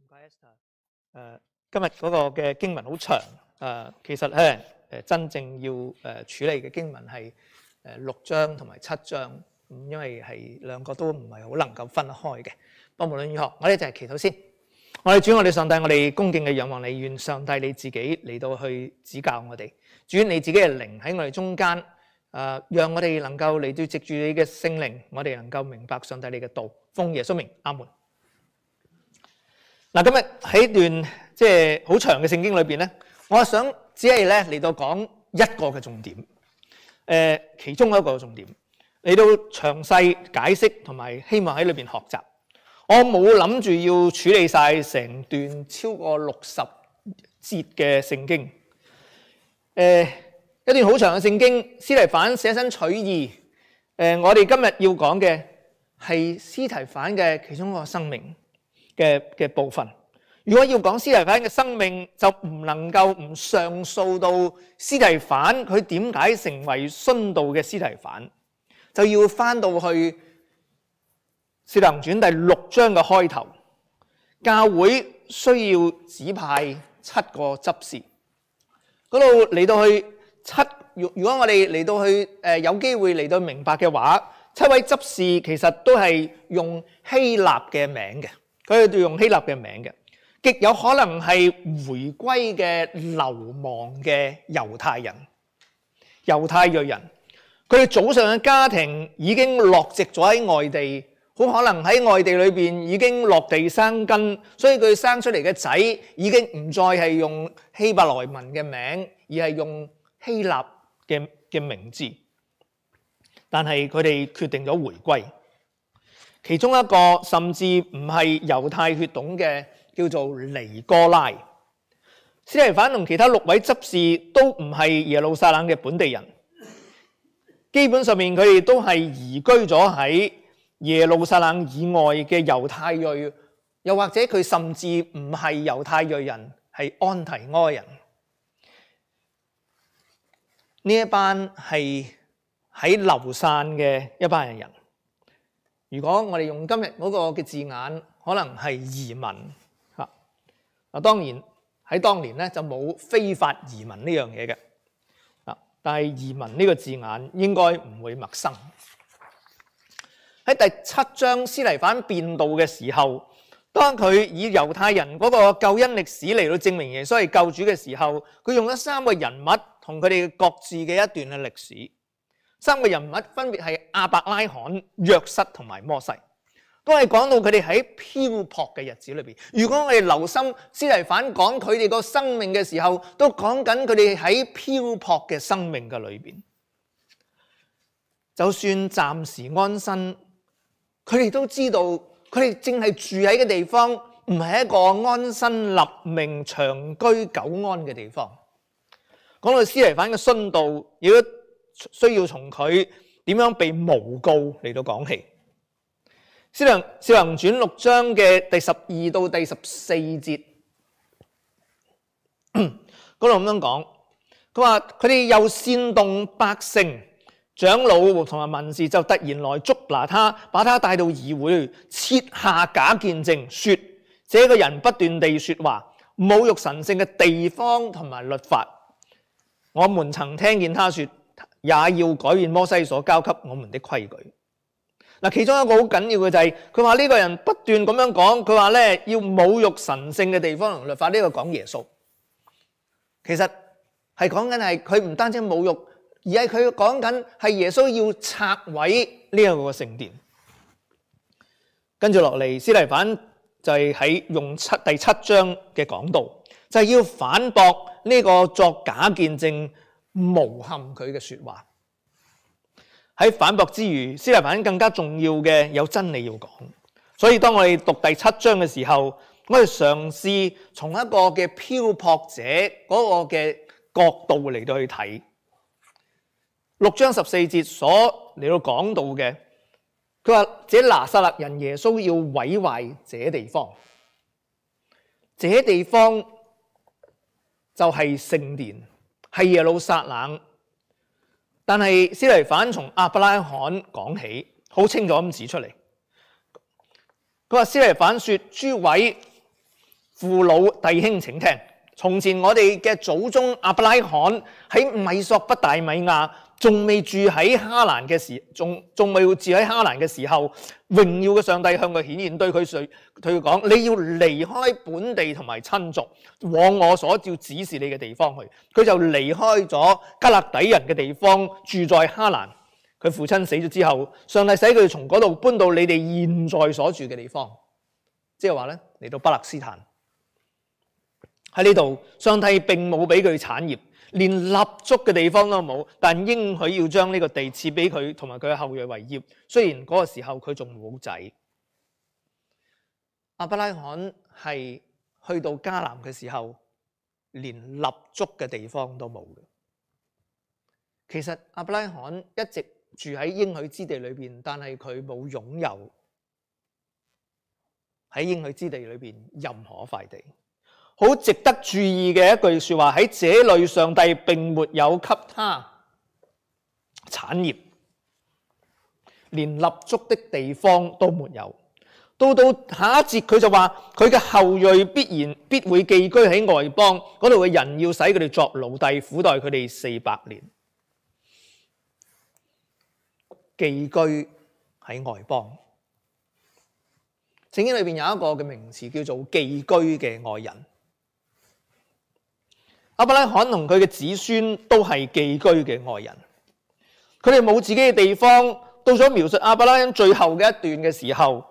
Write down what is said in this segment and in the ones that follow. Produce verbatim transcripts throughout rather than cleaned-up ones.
怪 Esther。誒，今日嗰個嘅經文好長，誒，其實咧誒真正要誒處理嘅經文係誒六章同埋七章，咁因為係兩個都唔係好能夠分得開嘅。不過無論如何，我哋就係祈禱先。我哋主，我哋上帝，我哋恭敬嘅仰望你，願上帝你自己嚟到去指教我哋。主，你自己嘅靈喺我哋中間，誒，讓我哋能夠嚟到藉住你嘅聖靈，我哋能夠明白上帝你嘅道。奉耶穌名，阿門。嗱，今日喺段即係好長嘅聖經裏邊咧，我想只係咧嚟到講一個嘅重點，誒，其中一個重點嚟到詳細解釋同埋希望喺裏邊學習。我冇諗住要處理晒成段超過六十節嘅聖經，誒，一段好長嘅聖經，司提反捨身取義。誒，我哋今日要講嘅係司提反嘅其中一個生命嘅嘅部分。如果要講司提反嘅生命，就唔能夠唔上訴到司提反佢點解成為殉道嘅司提反，就要翻到去《使徒行傳》第六章嘅開頭，教會需要指派七個執事，嗰度嚟到去七。如果我哋嚟到去誒有機會嚟到明白嘅話，七位執事其實都係用希臘嘅名嘅，佢哋都用希臘嘅名嘅，極有可能係回歸嘅流亡嘅猶太人、猶太裔人。佢哋早上嘅家庭已經落籍咗喺外地，好可能喺外地裏邊已經落地生根，所以佢生出嚟嘅仔已經唔再係用希伯來文嘅名，而係用希臘嘅嘅名字。但係佢哋決定咗回歸，其中一個甚至唔係猶太血統嘅，叫做尼哥拉。司提反同其他六位執事都唔係耶路撒冷嘅本地人，基本上面佢哋都係移居咗喺耶路撒冷以外嘅猶太裔，又或者佢甚至唔係猶太裔人，係安提阿人。呢一班係喺流散嘅一班人。如果我哋用今日嗰個嘅字眼，可能係移民嚇。嗱，當然喺當年咧就冇非法移民呢樣嘢嘅。啊，但係移民呢個字眼應該唔會陌生。喺第七章司提反辯道嘅時候，當佢以猶太人嗰個救恩歷史嚟到證明耶穌係救主嘅時候，佢用咗三個人物同佢哋各自嘅一段嘅歷史。三個人物分別係亞伯拉罕、約瑟同埋摩西，都係講到佢哋喺漂泊嘅日子裏邊。如果我哋留心司提反講佢哋個生命嘅時候，都講緊佢哋喺漂泊嘅生命嘅裏邊。就算暫時安身，佢哋都知道佢哋正係住喺嘅地方，唔係一個安身立命、長居久安嘅地方。講到司提反嘅殉道，如果需要從佢點樣被誣告嚟到講起。《使徒行傳》六章嘅第十二到第十四節，嗰度咁樣講，佢話佢哋又煽動百姓、長老同埋文士，就突然來捉拿他，把他帶到議會，設下假見證，說這個人不斷地說話，侮辱神聖嘅地方同埋律法。我們曾聽見他說，也要改變摩西所交給我們的規矩。嗱，其中一個好緊要嘅就係佢話呢個人不斷咁樣講，佢話咧要侮辱神聖嘅地方同律法。呢個講耶穌，其實係講緊係佢唔單止侮辱，而係佢講緊係耶穌要拆毀呢一個聖殿。跟住落嚟，司提反就係喺用七第七章嘅講道，就係要反駁呢個作假見證、誣陷佢嘅說話。喺反駁之餘，司提反更加重要嘅有真理要講。所以當我哋讀第七章嘅時候，我哋嘗試從一個嘅漂泊者嗰個嘅角度嚟到去睇六章十四節所嚟到講到嘅。佢話：這拿撒勒人耶穌要毀壞這地方，這地方就係聖殿，係耶路撒冷。但係司提反從亞伯拉罕講起，好清楚咁指出嚟。佢話司提反說：諸位父老弟兄請聽。從前我哋嘅祖宗亞伯拉罕喺米索不大米亞，仲未住喺哈蘭嘅時，仲仲未住喺哈蘭嘅時候，榮耀嘅上帝向佢顯現，對佢說，對佢講：你要離開本地同埋親族，往我所照指示你嘅地方去。佢就離開咗加勒底人嘅地方，住在哈蘭。佢父親死咗之後，上帝使佢從嗰度搬到你哋現在所住嘅地方，即係話咧嚟到巴勒斯坦。喺呢度，上帝並冇俾佢產業，連立足嘅地方都冇，但應許要將呢個地賜俾佢同埋佢嘅後裔為業。雖然嗰個時候佢仲冇仔，亞伯拉罕係去到迦南嘅時候，連立足嘅地方都冇嘅。其實亞伯拉罕一直住喺應許之地裏邊，但係佢冇擁有喺應許之地裏邊任何一塊地。好值得注意嘅一句說話，喺這裏上帝並沒有給他產業，連立足的地方都沒有。到到下一節佢就話佢嘅後裔必然必會寄居喺外邦，嗰度嘅人要使佢哋作奴隸，苦待佢哋四百年。寄居喺外邦，聖經裏邊有一個嘅名詞叫做寄居嘅外人。亞伯拉罕同佢嘅子孫都係寄居嘅外人，佢哋冇自己嘅地方。到咗描述亞伯拉罕最後嘅一段嘅時候，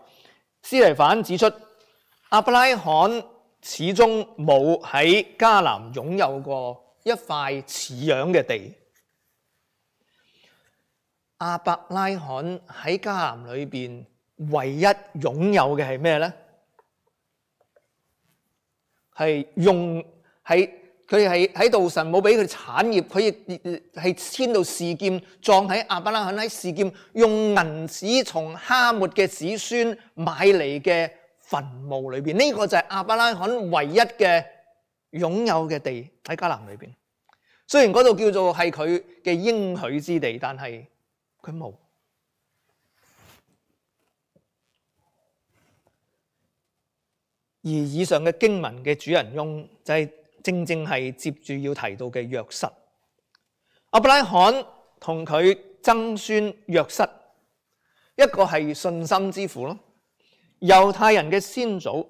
司提反指出亞伯拉罕始終冇喺迦南擁有過一塊似樣嘅地。亞伯拉罕喺迦南裏邊唯一擁有嘅係咩呢？係用喺佢係喺度，神冇俾佢產業，佢亦係遷到示劍，葬喺亞伯拉罕喺示劍，用銀子從哈末嘅子孫買嚟嘅墳墓裏邊。呢、這個就係亞伯拉罕唯一嘅擁有嘅地喺迦南裏邊。雖然嗰度叫做係佢嘅應許之地，但係佢冇。而以上嘅經文嘅主人翁就係、是。正正係接住要提到嘅約瑟。亞伯拉罕同佢曾孫約瑟，一個係信心之父咯，猶太人嘅先祖，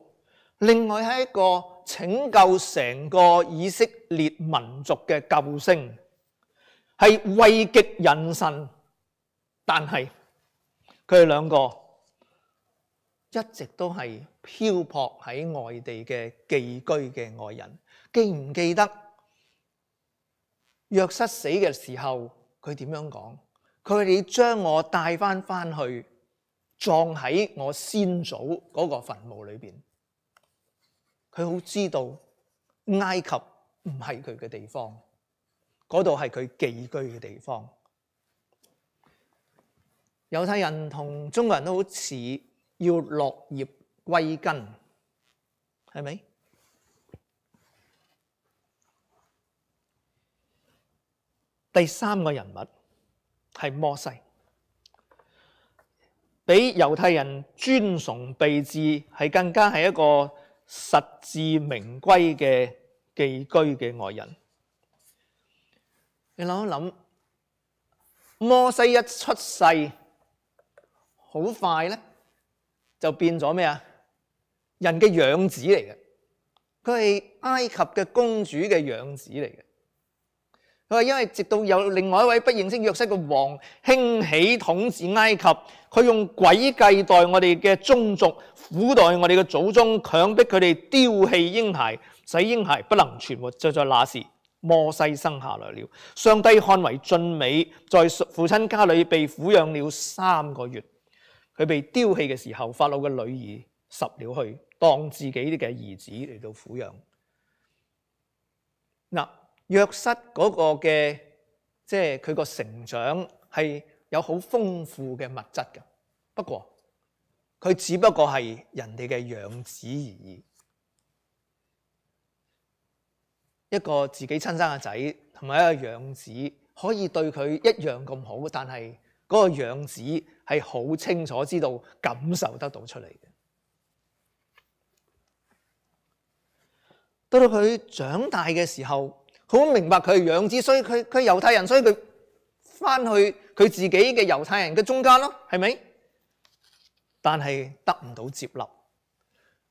另外係一個拯救成個以色列民族嘅救星，係位極人臣。但係佢哋兩個一直都係漂泊喺外地嘅寄居嘅外人。記唔記得約瑟死嘅時候佢點樣講？佢哋將我帶翻翻去葬喺我先祖嗰個墳墓裏邊。佢好知道埃及唔係佢嘅地方，嗰度係佢寄居嘅地方。猶太人同中國人都好似要落葉歸根，係咪？第三個人物係摩西，比猶太人尊崇備至，係更加係一個實至名歸嘅寄居嘅外人。你諗一諗，摩西一出世，好快咧就變咗咩啊？人嘅養子嚟嘅，佢係埃及嘅公主嘅養子嚟嘅。佢話因為直到有另外一位不認識約瑟嘅王興起統治埃及，佢用詭計待我哋嘅宗族，苦待我哋嘅祖宗，強迫佢哋丟棄嬰孩，使嬰孩不能存活。就在那時，摩西生下來了。上帝看為俊美，在父親家裏被撫養了三個月。佢被丟棄嘅時候，法老嘅女兒拾了去，當自己嘅兒子嚟到撫養。嗱。約瑟嗰個嘅即係佢個成長係有好豐富嘅物質嘅，不過佢只不過係人哋嘅養子而已。一個自己親生嘅仔同埋一個養子可以對佢一樣咁好，但係嗰個養子係好清楚知道感受得到出嚟嘅。到到佢長大嘅時候，好明白佢係養子，所以佢佢係猶太人，所以佢翻去佢自己嘅猶太人嘅中間咯，係咪？但係得唔到接納。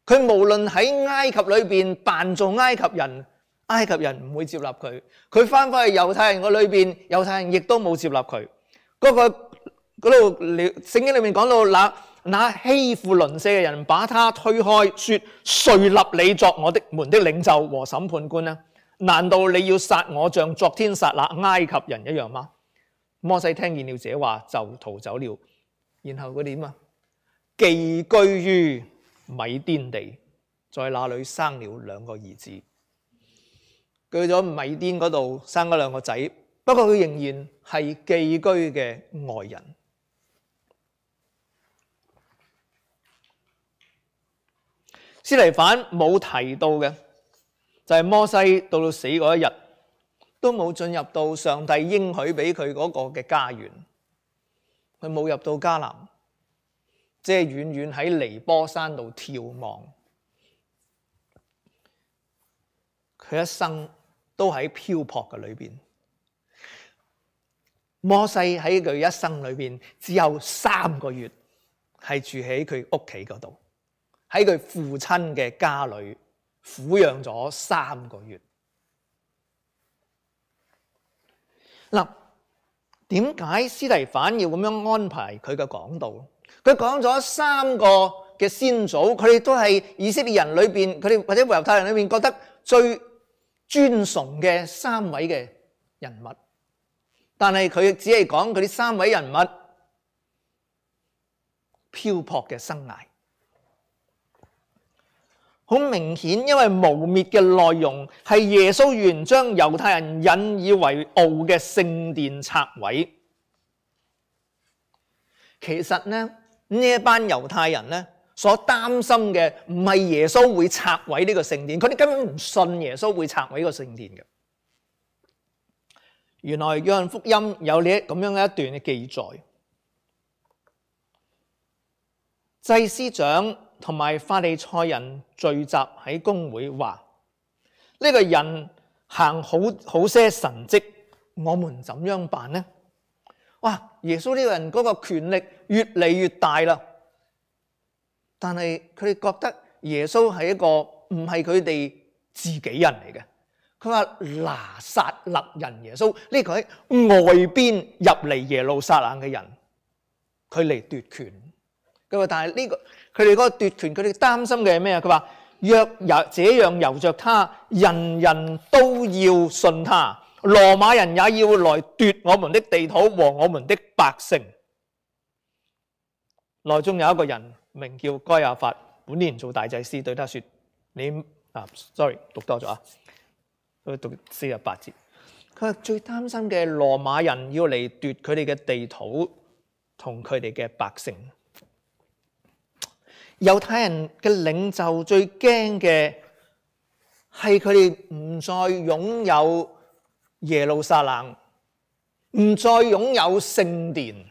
佢無論喺埃及裏邊扮做埃及人，埃及人唔會接納佢；佢翻返去猶太人個裏邊，猶太人亦都冇接納佢。嗰、那個嗰度聖經裏面講到，那那欺負鄰舍嘅人把他推開，說：誰立你作我的們的領袖和審判官呢？難道你要殺我像昨天殺那埃及人一樣嗎？摩西聽見了這話就逃走了。然後佢點啊？寄居於米甸地，在那裏生了兩個兒子。去咗米甸嗰度生咗兩個仔，不過佢仍然係寄居嘅外人。司提反冇提到嘅就係摩西到到死嗰一日都冇進入到上帝應許俾佢嗰個嘅家園，佢冇入到迦南，即係遠遠喺尼波山度眺望。佢一生都喺漂泊嘅裏邊。摩西喺佢一生裏邊只有三個月係住喺佢屋企嗰度，喺佢父親嘅家裏撫養咗三個月。嗱，點解司提反要咁樣安排佢嘅講道？佢講咗三個嘅先祖，佢哋都係以色列人裏邊，佢哋或者猶太人裏邊覺得最尊崇嘅三位嘅人物，但係佢只係講佢啲三位人物漂泊嘅生涯。好明顯，因為誣衊嘅內容係耶穌原將猶太人引以為傲嘅聖殿拆毀。其實呢，呢一班猶太人呢所擔心嘅唔係耶穌會拆毀呢個聖殿，佢哋根本唔信耶穌會拆毀個聖殿嘅。原來約翰福音有呢咁樣一段嘅記載，祭司長同埋法利賽人聚集喺公會，話呢個人行好好些神蹟，我們怎樣辦呢？哇！耶穌呢個人嗰個權力越嚟越大啦，但係佢哋覺得耶穌係一個唔係佢哋自己人嚟嘅。佢話拿撒勒人耶穌呢個喺外邊入嚟耶路撒冷嘅人，佢嚟奪權。佢話但係呢個佢哋嗰個奪權，佢哋擔心嘅係咩啊？佢話若有這樣由着他，人人都要信他，羅馬人也要來奪我們的地土和我們的百姓。內中有一個人名叫該亞法，本年做大祭司，對他說：你啊 ，sorry 讀多咗啊，佢讀四十八節。佢話最擔心嘅羅馬人要嚟奪佢哋嘅地土同佢哋嘅百姓。猶太人嘅領袖最驚嘅係佢哋唔再擁有耶路撒冷，唔再擁有聖殿。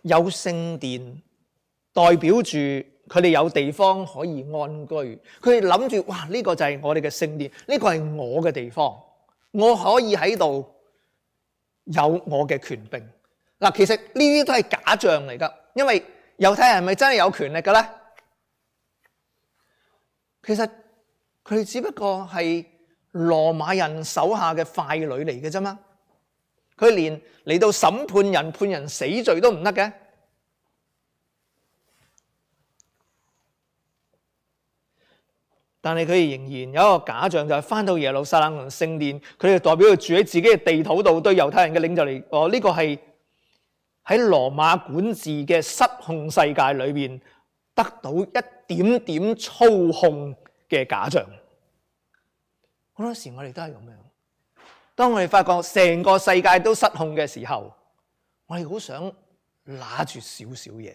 有聖殿代表住佢哋有地方可以安居，佢哋諗住哇，呢個就係我哋嘅聖殿，呢個係我嘅地方，我可以喺度有我嘅權柄。嗱，其實呢啲都係假象嚟噶，因為猶太人係咪真係有權力嘅咧？其實佢哋只不過係羅馬人手下嘅傀儡嚟嘅啫嘛。佢連嚟到審判人、判人死罪都唔得嘅。但係佢哋仍然有一個假象，就係翻到耶路撒冷同聖殿，佢哋代表佢住喺自己嘅地土度，對猶太人嘅領袖嚟講，呢個係喺羅馬管治嘅失控世界裏邊得到一點點操控嘅假象。好多時我哋都係咁樣，當我哋發覺成個世界都失控嘅時候，我哋好想拿住少少嘢。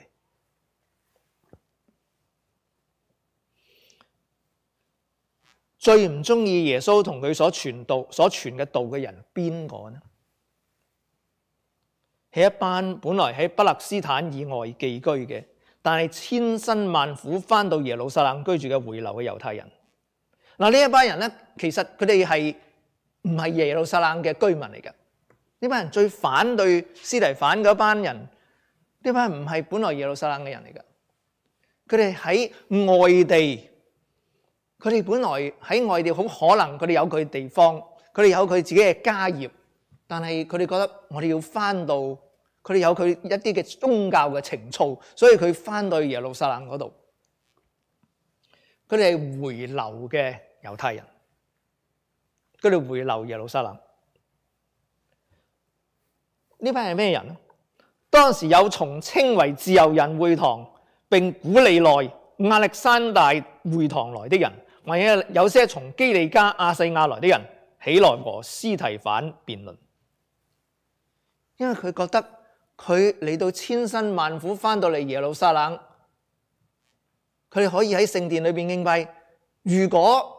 最唔中意耶穌同佢所傳道、所傳嘅道嘅人邊個呢？係一班本來喺巴勒斯坦以外寄居嘅，但係千辛萬苦翻到耶路撒冷居住嘅回流嘅猶太人。嗱，呢一班人咧，其實佢哋係唔係耶路撒冷嘅居民嚟嘅？呢班人最反對司提反嗰班人，呢班人唔係本來耶路撒冷嘅人嚟嘅。佢哋喺外地，佢哋本來喺外地好可能佢哋有佢嘅地方，佢哋有佢自己嘅家業，但係佢哋覺得我哋要翻到，佢哋有佢一啲嘅宗教嘅情操，所以佢翻到耶路撒冷嗰度。佢哋係回流嘅猶太人，佢哋回流耶路撒冷。呢班係咩人呢？當時有從稱為自由人會堂並古利奈、亞歷山大會堂來的人，或者有些從基利家、亞細亞來的人，起來和司提反辯論。因為佢覺得佢嚟到千辛萬苦翻到嚟耶路撒冷，佢哋可以喺聖殿裏邊敬拜。如果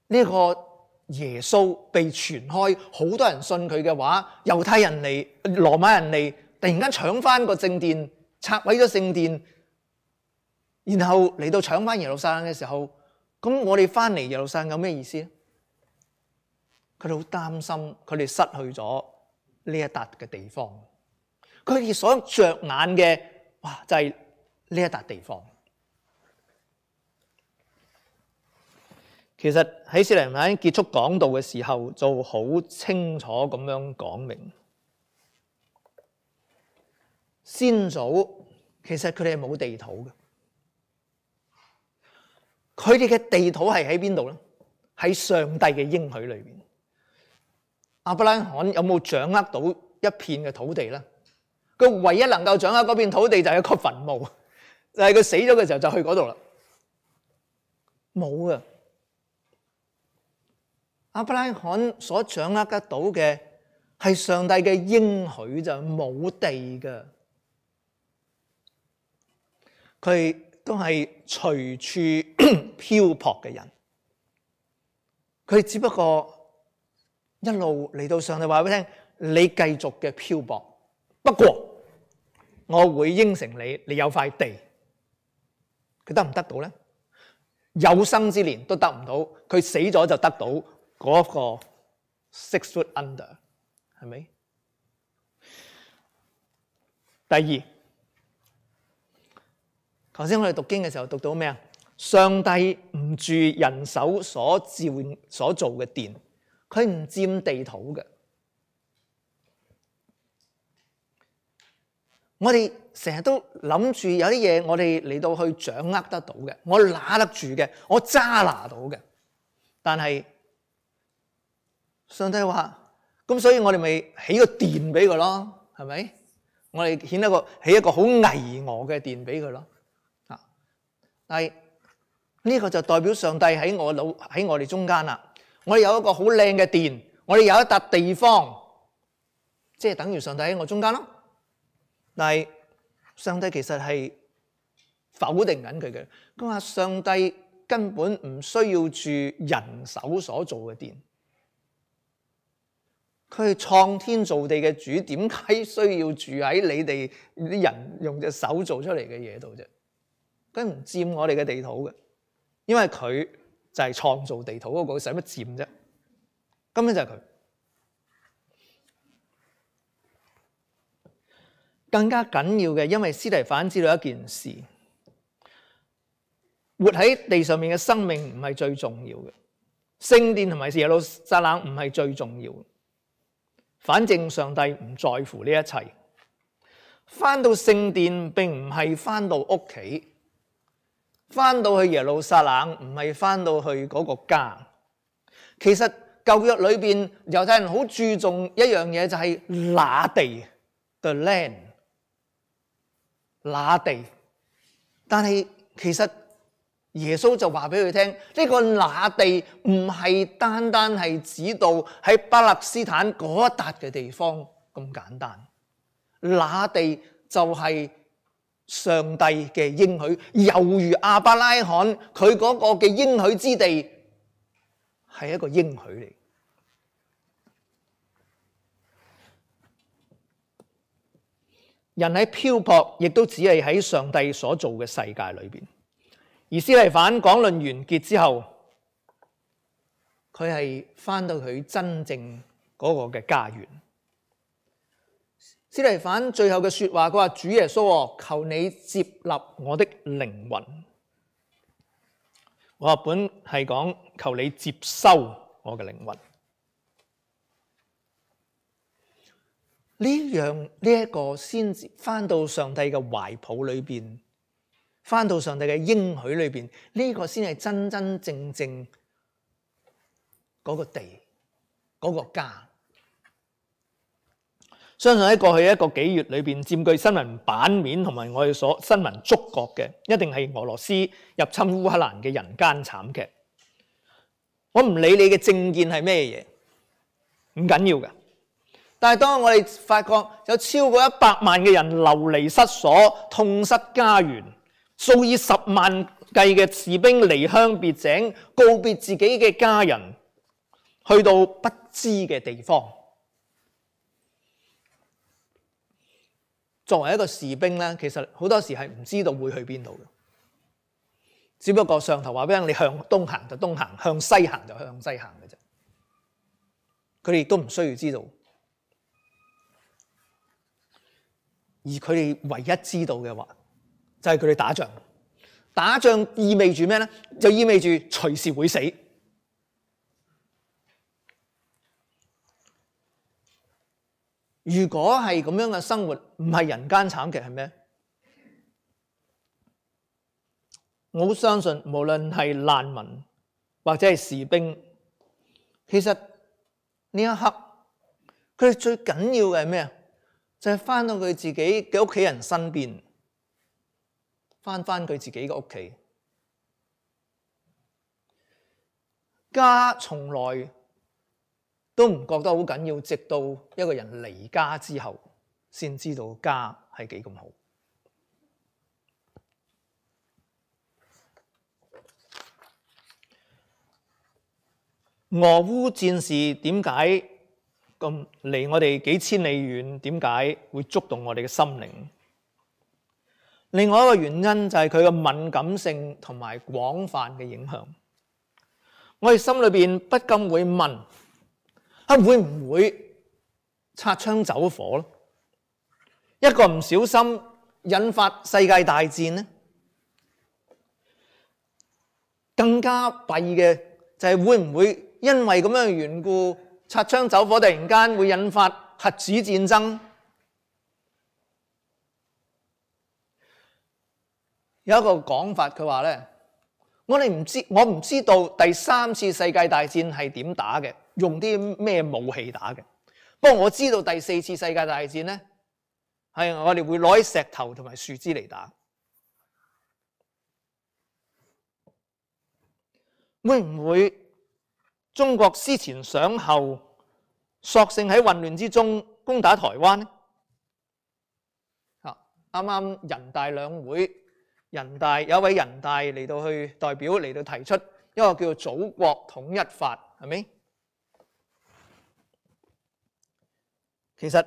呢個耶穌被傳開，好多人信佢嘅話，猶太人嚟、羅馬人嚟，突然間搶翻個聖殿，拆毀咗聖殿，然後嚟到搶翻耶路撒冷嘅時候，咁我哋翻嚟耶路撒冷有咩意思咧？佢哋好擔心，佢哋失去咗呢一笪嘅地方。佢哋所着眼嘅，哇，就係呢一笪地方。其實喺司提反結束講道嘅時候，就好清楚咁樣講明，先祖其實佢哋係冇地土嘅，佢哋嘅地土係喺邊度咧？喺上帝嘅應許裏邊。亞伯拉罕有冇掌握到一片嘅土地咧？佢唯一能夠掌握嗰片土地就係一個墳墓，就係佢死咗嘅時候就去嗰度啦，冇㗎。亞伯拉罕所掌握得到嘅係上帝嘅應許，就冇地㗎。佢都係隨處漂泊嘅人，佢只不過一路嚟到上帝話俾你聽，你繼續嘅漂泊，不過我會應承你，你有塊地。佢得唔得到咧？有生之年都得唔到，佢死咗就得到嗰個 six foot under， 係咪？第二，頭先我哋讀經嘅時候讀到咩啊？上帝唔住人手所造所做嘅殿，佢唔佔地土嘅。我哋成日都諗住有啲嘢，我哋嚟到去掌握得到嘅，我拿得住嘅，我揸拿到嘅，但係上帝話，咁所以我哋咪起個殿俾佢咯，係咪？我哋起一個起一個好巍峨嘅殿俾佢咯。啊，但係呢個就代表上帝喺我腦喺我哋中間啦。我哋有一個好靚嘅殿，我哋有一笪地方，即係等於上帝喺我中間咯。但係上帝其實係否定緊佢嘅，佢話上帝根本唔需要住人手所做嘅殿。佢係創天造地嘅主，點解需要住喺你哋啲人用隻手做出嚟嘅嘢度啫？佢唔佔我哋嘅地土嘅，因為佢就係創造地土嗰個，使乜佔啫？根本就係佢。更加緊要嘅，因為司提反知道一件事，活喺地上面嘅生命唔係最重要嘅，聖殿同埋耶路撒冷唔係最重要嘅。反正上帝唔在乎呢一切，翻到聖殿並唔係翻到屋企，翻到去耶路撒冷唔係翻到去嗰個家。其實舊約裏邊猶太人好注重一樣嘢，就係那地 the land 那地，但係其實耶穌就話俾佢聽，呢個那地唔係單單係指到喺巴勒斯坦嗰一笪嘅地方咁簡單，那地就係上帝嘅應許，猶如亞伯拉罕佢嗰個嘅應許之地係一個應許嚟。人喺漂泊，亦都只係喺上帝所做嘅世界裏邊。而司提反講論完結之後，佢係返到佢真正嗰個嘅家園。司提反最後嘅說話，佢話：主耶穌，求你接納我的靈魂。我本係講求你接收我嘅靈魂。呢樣呢一個先至返到上帝嘅懷抱裏邊，返到上帝嘅應許裏邊，呢個先係真真正正嗰個地，嗰個家。相信喺過去一個幾月裏邊，佔據新聞版面同埋我哋所新聞觸覺嘅，一定係俄羅斯入侵烏克蘭嘅人間慘劇。我唔理你嘅政見係咩嘢，唔緊要嘅。但係當我哋發覺有超過一百萬嘅人流離失所、痛失家園，數以十萬計嘅士兵離鄉別井，告別自己嘅家人，去到不知嘅地方。作為一個士兵咧，其實好多時係唔知道會去邊度嘅，只不過上頭話俾你向東行就東行，向西行就向西行嘅啫。佢哋亦都唔需要知道，而佢哋唯一知道嘅話，就係佢哋打仗。打仗意味住咩咧？就意味住隨時會死。如果係咁樣嘅生活，唔係人間慘劇係咩？我好相信，無論係難民或者係士兵，其實呢一刻佢哋最緊要嘅係咩啊？就係翻到佢自己嘅屋企人身邊，翻翻佢自己嘅屋企。家從來都唔覺得好緊要，直到一個人離家之後，先知道家係幾咁好。俄烏戰事點解咁離我哋幾千里遠？點解會觸動我哋嘅心靈？另外一個原因就係佢嘅敏感性同埋廣泛嘅影響。我哋心裏邊不禁會問：啊，會唔會擦槍走火咧？一個唔小心引發世界大戰呢？更加弊嘅就係會唔會因為咁樣嘅緣故，擦槍走火突然間會引發核子戰爭？有一個講法，佢話咧：我哋唔知，我唔知道第三次世界大戰係點打嘅，用啲咩武器打嘅。不過我知道第四次世界大戰咧，係我哋會攞起石頭同埋樹枝嚟打。會唔會中國思前想後，索性喺混亂之中攻打台灣呢？啊，啱啱人大兩會，人大有一位人大嚟到去代表嚟到提出一個叫做祖國統一法，係咪？其實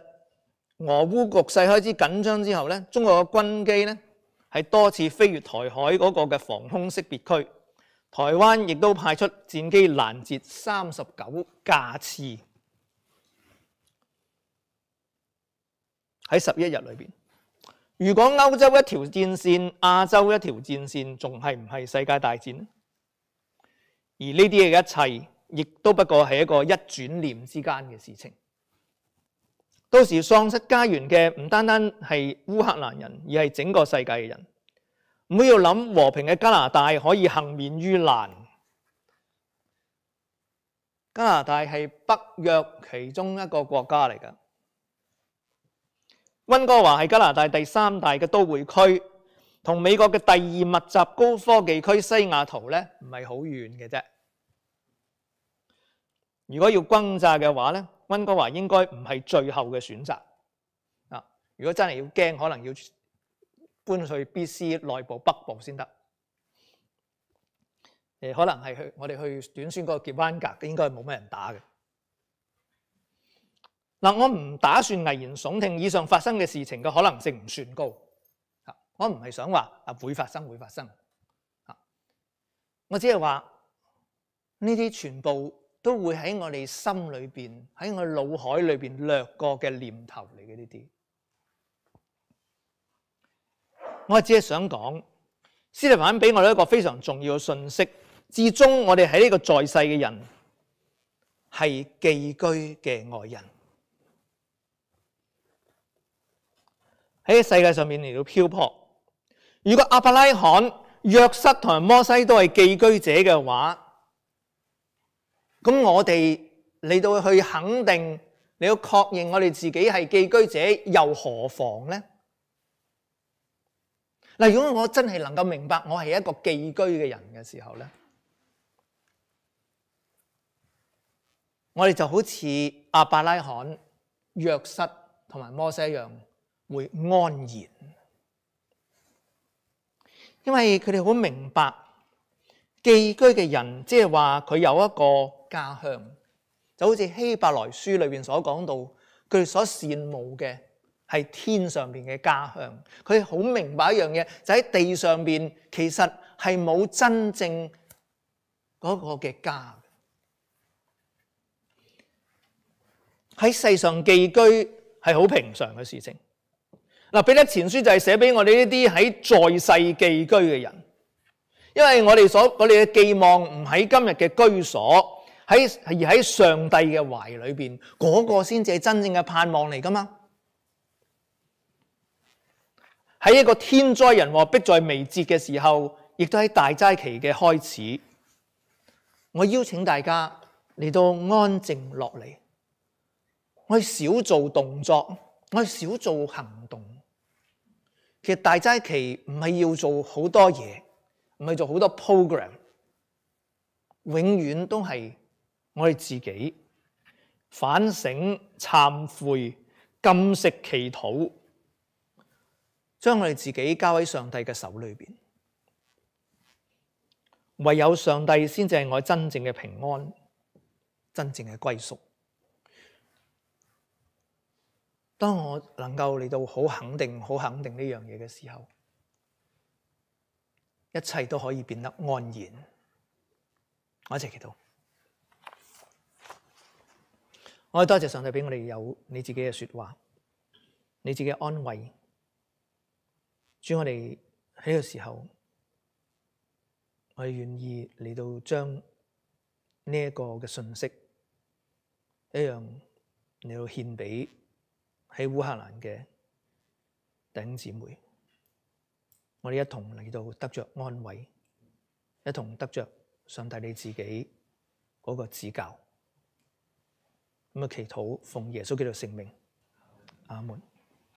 俄烏局勢開始緊張之後咧，中國嘅軍機咧係多次飛越台海嗰個嘅防空識別區，台灣亦都派出戰機攔截三十九架次。喺十一日裏邊，如果歐洲一條戰線、亞洲一條戰線，仲係唔係世界大戰呢？而呢啲嘅一切，亦都不過係一個一轉念之間嘅事情。到時喪失家園嘅唔單單係烏克蘭人，而係整個世界嘅人。唔好要諗和平嘅加拿大可以幸免於難。加拿大係北約其中一個國家嚟㗎。溫哥華係加拿大第三大嘅都會區，同美國嘅第二密集高科技區西雅圖咧，唔係好遠嘅啫。如果要轟炸嘅話咧，溫哥華應該唔係最後嘅選擇。啊，如果真係要驚，可能要搬去 B C 內部北部先得。誒，可能係去我哋去短宣嗰個傑灣格，應該係冇咩人打嘅。嗱，我唔打算危言聳聽以上發生嘅事情嘅可能性唔算高。我唔係想話啊會發生會發生，我只係話呢啲全部都會喺我哋心裏邊，喺我腦海裏邊掠過嘅念頭嚟嘅呢啲。我只係想講，司提反俾我哋一個非常重要嘅信息，至終我哋喺呢個在世嘅人係寄居嘅外人，喺世界上面嚟到漂泊。如果亞伯拉罕、約瑟同埋摩西都係寄居者嘅話，咁我哋嚟到去肯定，嚟到確認我哋自己係寄居者，又何妨呢？嗱，如果我真係能夠明白我係一個寄居嘅人嘅時候咧，我哋就好似亞伯拉罕、約瑟同埋摩西一樣，會安然。因為佢哋好明白寄居嘅人，即係話佢有一個家鄉，就好似希伯來書裏邊所講到，佢哋所羨慕嘅係天上邊嘅家鄉。佢哋好明白一樣嘢，就喺地上邊其實係冇真正嗰個嘅家。喺世上寄居係好平常嘅事情。嗱，彼得前書就係寫俾我哋呢啲喺在世寄居嘅人，因為我哋所我哋嘅寄望唔喺今日嘅居所，喺而喺上帝嘅懷裏邊，嗰個先至係真正嘅盼望嚟噶嘛。喺一個天災人禍迫在眉睫嘅時候，亦都喺大齋期嘅開始，我邀請大家嚟到安靜落嚟，我少做動作，我少做行動。其實大齋期唔係要做好多嘢，唔係做好多 program， 永遠都係我哋自己反省、懺悔、禁食、祈禱，將我哋自己交喺上帝嘅手裏邊。唯有上帝先至係我真正嘅平安，真正嘅歸宿。當我能夠嚟到好肯定、好肯定呢樣嘢嘅時候，一切都可以變得安然。我一齊祈禱。我哋多謝上帝俾我哋有你自己嘅說話，你自己嘅安慰。主，我哋喺呢個時候，我哋願意嚟到將呢一個嘅信息一樣嚟到獻俾喺烏克蘭嘅弟兄姊妹，我哋一同嚟到得着安慰，一同得着上帝你自己嗰個指教。咁啊，祈禱奉耶穌基督聖名，阿門。